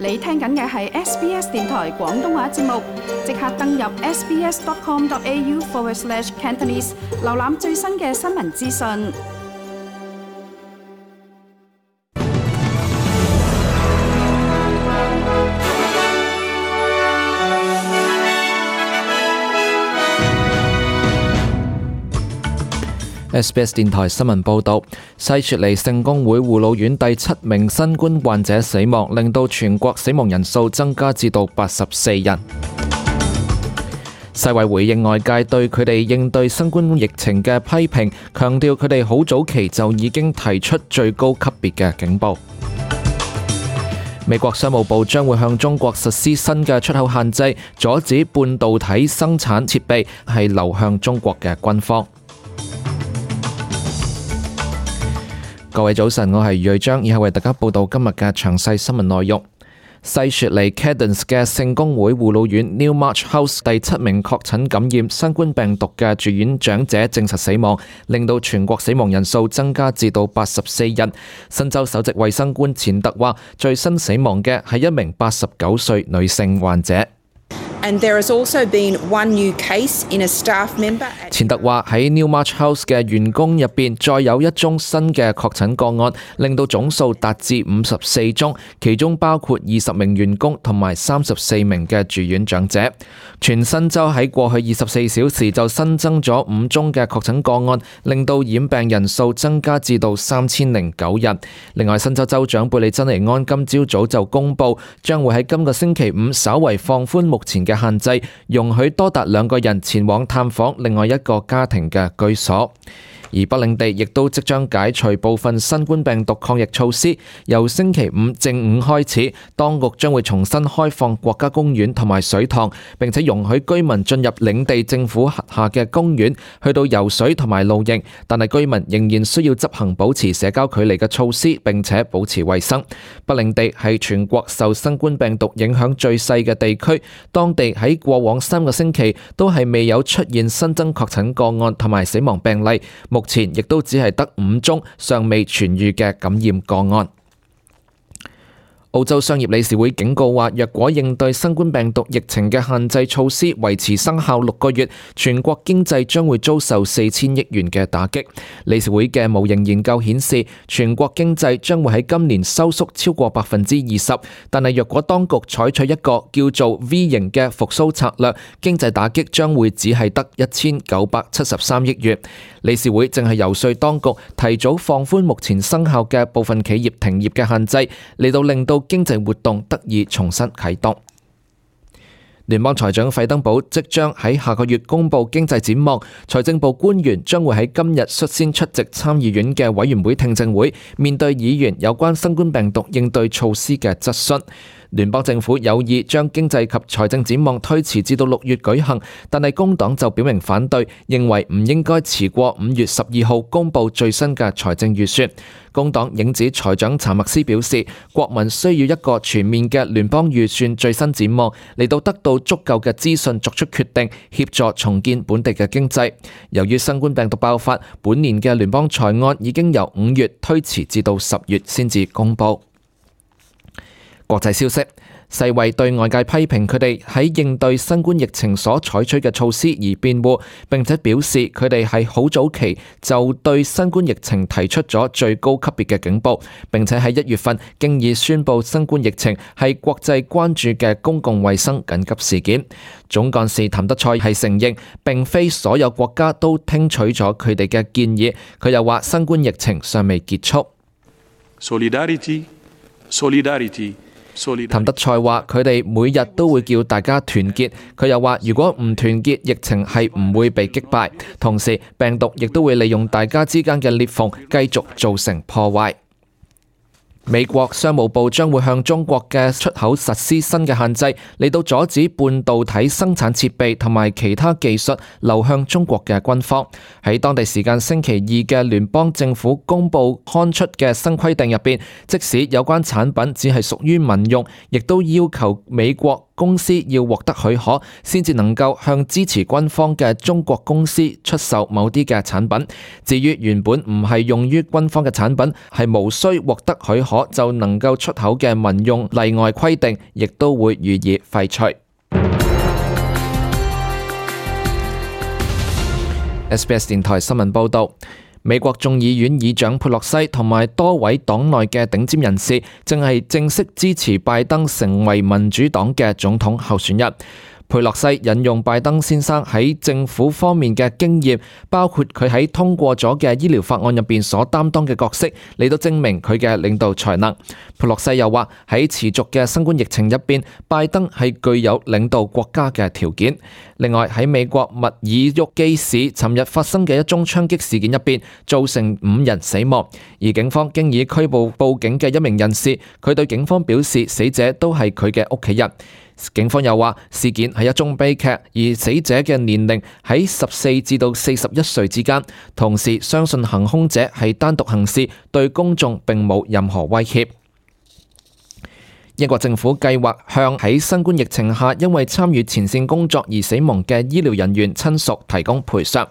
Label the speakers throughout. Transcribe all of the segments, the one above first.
Speaker 1: 你聽緊嘅係 SBS 電台廣東話節目，即刻登入 sbs.com.au/Cantonese 瀏覽最新嘅新聞資訊。
Speaker 2: SBS 電台新聞報導，西雪梨聖公會護老院第7名新冠患者死亡，令到全國死亡人數增加至到84人。世衛回應外界對佢哋應對新冠疫情嘅批評，強調佢哋好早期就已經提出最高級別嘅警報。美國商務部將會向中國實施新嘅出口限制，阻止半導體生產設備係流向中國嘅軍方。各位早晨，我係余瑞章，以後為大家報道今日嘅詳細新聞內容。西雪梨 Cadence 嘅聖公會護老院 Newmarch House 第7名確診感染新冠病毒嘅住院長者證實死亡，令到全國死亡人數增加至到84人。新州首席衛生官錢特話，最新死亡嘅係一名89歲女性患者。
Speaker 3: And there has also been one new case in a staff member.
Speaker 2: 錢特話喺 Newmarch House 嘅員工入邊再有一宗新嘅確診個案，令到總數達至54宗，其中包括20名員工同埋34名嘅住院長者。全新州喺過去24小時就新增咗5宗嘅確診個案，令到染病人數增加至到3009人。另外，新州州長貝利珍尼安今朝早就公布，將會喺今個星期五稍為放寬目前嘅限制，容許多達2個人前往探訪另外一個家庭嘅居所。而北領地亦都即將解除部分新冠病毒抗疫措施，由星期五正午開始，當局將會重新開放國家公園同埋水塘，並且容許居民進入領地政府轄下嘅公園，去到游水同埋露營，但係居民仍然需要執行保持社交距離嘅措施，並且保持衛生。北領地係全國受新冠病毒影響最細嘅地區，當地喺過往3個星期都係未有出現新增確診個案同埋死亡病例。目前亦都只係得5宗尚未痊癒嘅感染個案。澳洲商業理事會警告話，若果應對新冠病毒疫情嘅限制措施維持生效6個月，全國經濟將會遭受4000億元嘅打擊。理事會嘅模型研究顯示，全國經濟將會喺今年收縮超過20%，但係若果當局採取一個叫做 V 型嘅復甦策略，經濟打擊將會只係得1973億元。理事會正係遊說當局提早放寬目前生效嘅部分企業停業嘅限制，嚟到令到經濟活動得以重新啟動。聯邦財長費登堡即將喺下個月公布經濟展望，財政部官員將會喺今日率先出席參議院嘅委員會聽證會，面對議員有關新冠病毒應對措施嘅質詢。聯邦政府有意將經濟及財政展望推遲至到6月舉行，但係工黨就表明反對，認為唔應該遲過5月12號公布最新嘅財政預算。工黨影子財長查默斯表示，國民需要一個全面嘅聯邦預算最新展望，嚟到得到足夠嘅資訊作出決定，協助重建本地嘅經濟。由於新冠病毒爆發，本年嘅聯邦財案已經由5月推遲至到10月先至公布。國際消息，世衛對外界批評佢哋喺應對新冠疫情所採取嘅措施而辯護，並且表示佢哋係好早期就對新冠疫情提出咗最高級別嘅警報，並且喺1月份經已宣布新冠疫情係國際關注嘅公共衛生緊急事件。總幹事譚德塞係承認並非所有國家都聽取咗佢哋嘅建議，佢又話新冠疫情尚未結束。
Speaker 4: Solidarity。
Speaker 2: 譚德塞話佢哋每日都會叫大家團結，佢又話如果唔團結，疫情係唔會被擊敗，同時病毒亦都會利用大家之間嘅裂縫繼續造成破壞。美國商務部將會向中國嘅出口實施新嘅限制，嚟到阻止半導體生產設備同埋其他技術流向中國嘅軍方。喺當地時間星期2嘅聯邦政府公佈刊出嘅新規定入邊，即使有關產品只係屬於民用，亦都要求美國公司要獲得許可，先至能夠向支持軍方嘅中國公司出售某啲嘅產品。至於原本唔係用於軍方嘅產品，係無需獲得許可就能夠出口嘅民用例外規定，亦都會予以廢除。SBS 電台新聞報導。美國眾議院議長佩洛西同埋多位黨內嘅頂尖人士正係正式支持拜登成為民主黨嘅總統候選人。佩洛西引用拜登先生喺政府方面嘅經驗，包括佢喺通過咗嘅醫療法案入邊所擔當嘅角色，嚟到證明佢嘅領導才能。佩洛西又話喺持續嘅新冠疫情入邊，拜登係具有領導國家嘅條件。另外喺美國密爾沃基市尋日發生嘅一宗槍擊事件入邊，造成5人死亡，而警方經已拘捕報警嘅一名人士，佢對警方表示死者都係佢嘅屋企人。警方又話事件係一宗悲劇，而死者嘅年齡喺14至到41歲之間，同時相信行兇者係單獨行事，對公眾並冇任何威脅。英國政府計劃向喺新冠疫情下因為參與前線工作而死亡嘅醫療人員親屬提供賠償。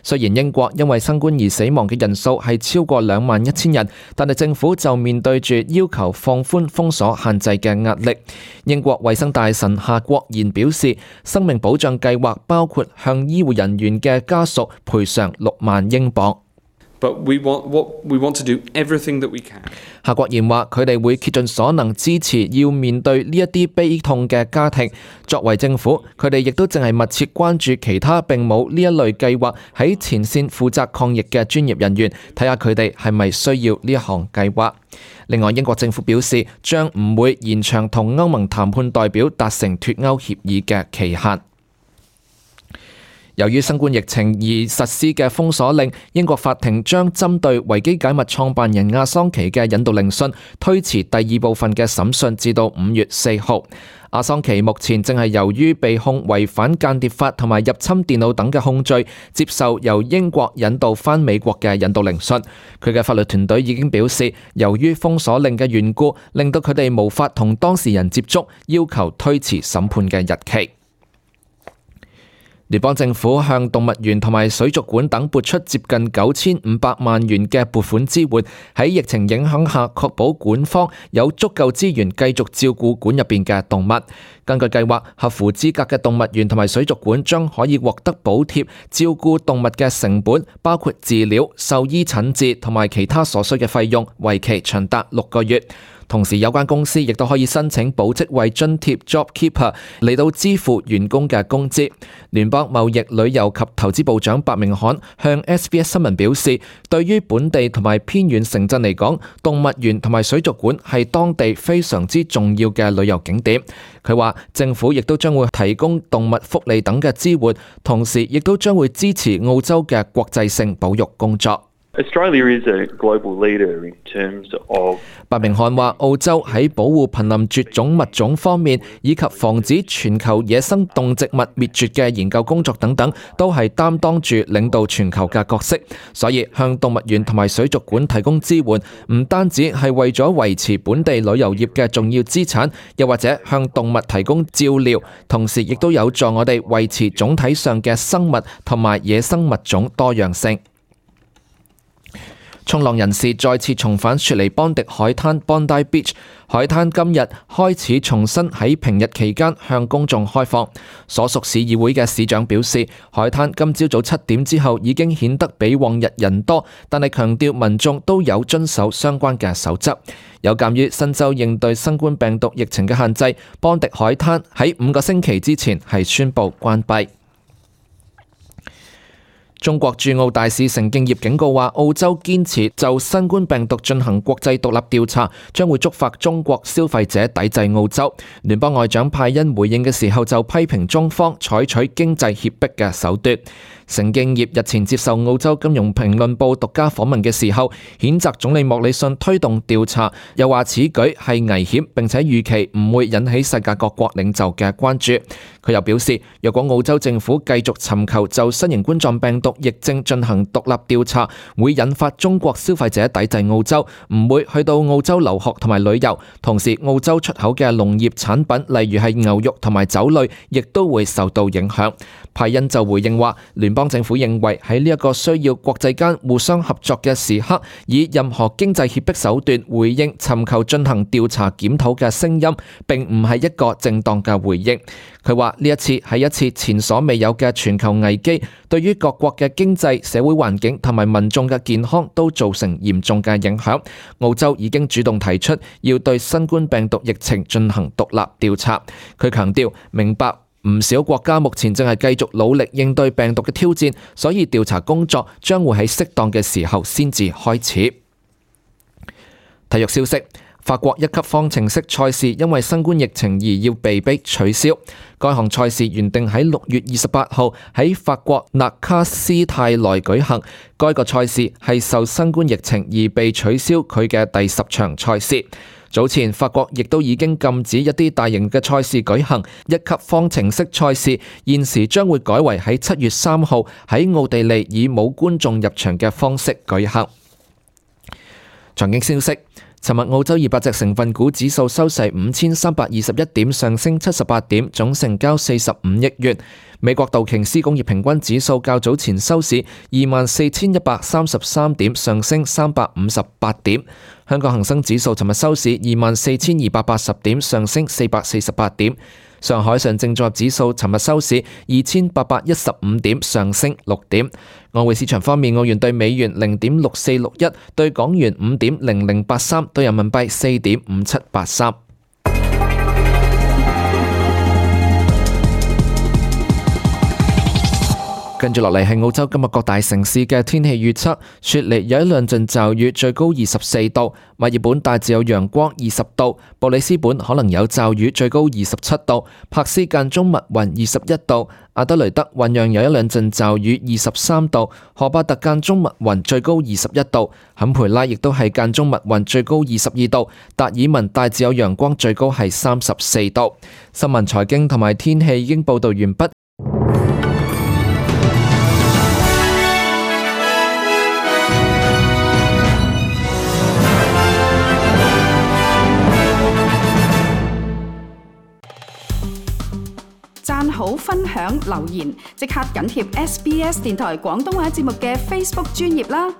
Speaker 2: 雖然英國因為新冠而死亡嘅人數係超過21,000人，但係政府就面對住要求放寬封鎖限制嘅壓力。英國衛生大臣夏國賢表示，生命保障計劃包括向醫護人員嘅家屬賠償6萬英鎊。
Speaker 5: But we want to do everything that we can.
Speaker 2: 夏國賢話：佢哋會竭盡所能支持要面對呢一啲悲痛嘅家庭。作為政府，佢哋亦都淨係密切關注其他並冇呢一類計劃喺前線負責抗疫嘅專業人員，睇下佢哋係咪需要呢一項計劃。另外，英國政府表示將唔會延長同歐盟談判代表達成脫歐協議嘅期限。由於新冠疫情而實施嘅封鎖令，英國法庭將針對維基解密創辦人亞桑奇嘅引渡聆訊推遲第2部分嘅審訊至到5月4號。亞桑奇目前正係由於被控違反間諜法同埋入侵電腦等嘅控罪，接受由英國引渡返美國嘅引渡聆訊。佢嘅法律團隊已經表示，由於封鎖令嘅緣故，令到佢哋無法同當事人接觸，要求推遲審判嘅日期。聯邦政府向動物園同埋水族館等撥出接近9500萬元嘅撥款支援，喺疫情影響下確保館方有足夠資源繼續照顧館入邊嘅動物。根據計劃，合乎資格嘅動物園同埋水族館將可以獲得補貼，照顧動物嘅成本，包括治療、獸醫診治同埋其他所需嘅費用，為期長達6個月。同時，有關公司亦都可以申請保職位津貼 JobKeeper 嚟到支付員工嘅工資。聯邦貿易、旅遊及投資部長白明翰向 SBS 新聞表示，對於本地同埋偏遠城鎮嚟講，動物園同埋水族館係當地非常之重要嘅旅遊景點。佢話政府亦都將會提供動物福利等嘅支援，同時亦都將會支持澳洲嘅國際性保育工作。
Speaker 6: Australia is a global leader in terms of
Speaker 2: 白明翰話，澳洲喺保護瀕臨絕種物種方面，以及防止全球野生動植物滅絕嘅研究工作等等，都係擔當住領導全球嘅角色。所以向動物園同埋水族館提供支援，唔單止係為咗維持本地旅遊業嘅重要資產，又或者向動物提供照料，同時亦都有助我哋維持總體上嘅生物同埋野生物種多樣性。衝浪人士再次重返雪梨邦迪海灘 Bondi Beach 海灘，今日開始重新喺平日期間向公眾開放。所屬市議會嘅市長表示，海灘今朝早7點之後已經顯得比往日人多，但係強調民眾都有遵守相關嘅守則。有鑑於新州應對新冠病毒疫情嘅限制，邦迪海灘喺5個星期之前係宣布關閉。中國駐澳大使成敬業警告話，澳洲堅持就新冠病毒進行國際獨立調查，將會觸發中國消費者抵制澳洲。聯邦外長派恩回應嘅時候就批評中方採取經濟脅迫嘅手段。成敬業日前接受澳洲金融評論報獨家訪問嘅時候，譴責總理莫里遜推動調查，又話此舉係危險，並且預期唔會引起世界各國領袖嘅關注。佢又表示，若果澳洲政府繼續尋求就新型冠狀病毒毒疫症進行獨立調查，會引發中國消費者抵制澳洲，唔會去到澳洲留學同埋旅遊。同時，澳洲出口嘅農業產品，例如係牛肉同埋酒類，亦都會受到影響。派恩就回應話，聯邦政府認為喺呢一個需要國際間互相合作嘅時刻，以任何經濟脅迫手段回應尋求進行調查檢討嘅聲音，並唔係一個正當嘅回應。佢話呢一次係一次前所未有嘅全球危機，對於各國嘅經濟、社會環境同埋民眾嘅健康都造成嚴重嘅影響。澳洲已經主動提出要對新冠病毒疫情進行獨立調查。佢強調明白唔少國家目前正係繼續努力應對病毒嘅挑戰，所以調查工作將會喺適當嘅時候先至開始。體育消息。法國一級方程式賽事因為新冠疫情而要被迫取消。該項賽事原定喺6月28號喺法國納卡斯泰萊舉行，該個賽事係受新冠疫情而被取消佢嘅第10場賽事。早前法國亦都已經禁止一啲大型嘅賽事舉行，一級方程式賽事現時將會改為喺7月3號喺奧地利以冇觀眾入場嘅方式舉行。財經消息。尋日澳洲200隻成分股指數收市5321點，上升78點，總成交45億元。美國道瓊斯工業平均指數較早前收市24,133點，上升358點。香港恒生指數尋日收市24,280點，上升448點。上海上證綜合指數尋日收市2815點，上升6點。外匯市場方面，澳元對美元0.6461，對港元5.0083，對人民幣4.5783。跟住落嚟係澳洲今日各大城市嘅天氣預測。雪梨有一兩陣驟雨，最高24度；墨爾本大致有陽光20度；布里斯本可能有驟雨，最高27度；柏斯間中密雲21度；阿德雷德同樣有一兩陣驟雨23度；荷巴特間中密雲，最高21度；坎培拉亦都係間中密雲，最高22度；達爾文大致有陽光，最高係34度。新聞、財經同埋天氣已經報道完畢。
Speaker 1: 讚好、分享、留言，即刻緊貼SBS 電台廣東話節目嘅 Facebook 專頁啦！